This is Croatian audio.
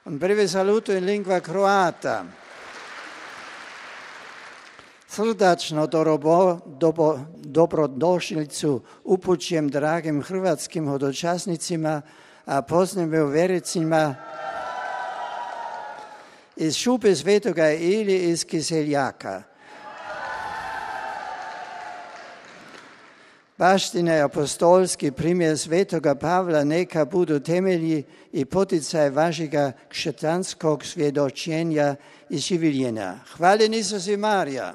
Un breve saluto in lingua croata. Srdačno dobrodošlicu upućujem dragim hrvatskim hodočasnicima, a posebno vjernicima iz Šupe Svetoga ili iz Kiseljaka. Baština je apostolski primjer Svetoga Pavla, neka budu temelji i poticaj vašega kšetanskog svjedočenja i življenja. Hvala Isus i Marija.